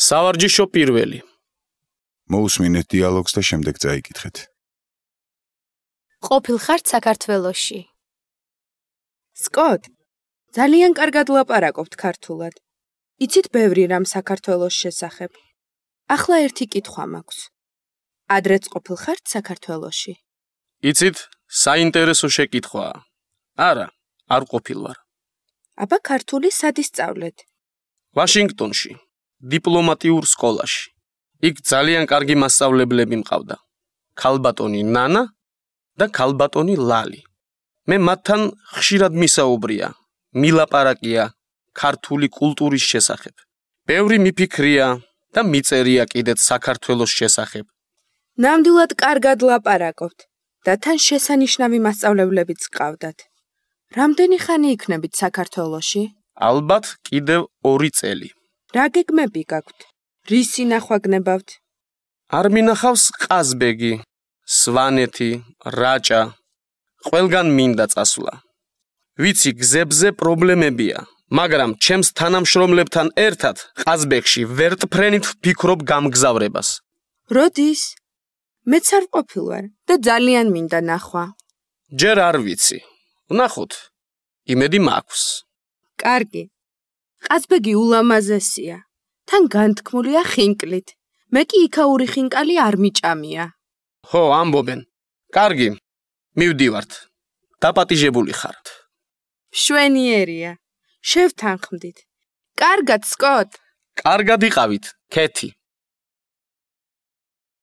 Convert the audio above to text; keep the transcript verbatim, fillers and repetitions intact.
სავარჯიშო პირველი. მოусმინეთ დიალოგს და შემდეგ წაიკითხეთ. ყოფილ ხართ საქართველოში? სკოტ, ძალიან კარგად ლაპარაკობთ ქართულად. იცით ბევრი რამ საქართველოს შესახებ. ახლა ერთი კითხვა მაქვს. ადრეც ყოფილ ხართ საქართველოში? იცით, საინტერესო შეკითხვაა. არა, არ ყოფილ ვარ. აბა ქართული სად ისწავლეთ? ვაშინგტონში, დიპლომატიურ სკოლაში. იქ ძალიან კარგი მასწავლებლები მყავდა. ქალბატონი ნანა და ქალბატონი ლალი. მე მათთან ხშირად მისაუბრია, მილაპარაკია ქართული კულტურის შესახებ. ბევრი მიფიქრია და მიწერია კიდეც საქართველოს შესახებ. ნამდვილად კარგად ლაპარაკობთ და თან შესანიშნავი მასწავლებლებიც გყავდათ. რამდენი ხანი იქნებით საქართველოში? ალბათ კიდევ ორი წელი. რა გეგმები გაქვთ? რისი ნახვა გნებავთ? არ მინახავს ყაზბეგი, სვანეთი, რაჭა. ყველგან მინდა წასვლა. ვიცი, გზებზე პრობლემებია, მაგრამ ჩემს თანამშრომლებთან ერთად ყაზბეგში ვერტფრენით ვფიქრობ გამგზავრებას. როდის? მეც არ ყოფილ ვარ და ძალიან მინდა ნახვა. ჯერ არ ვიცი. ვნახოთ. იმედი მაქვს. კარგი. ყაზბეგი ულამაზესია. თან განთქმულია ხინკლით. მე კი იქაური ხინკალი არ მიჭამია. ხო, ამბობენ. კარგი. მივდივართ. დაპატიჟებული ხართ. მშვენიერია. შევთანხმდით. კარგად, სკოტ. კარგად იყავით, ქეთი.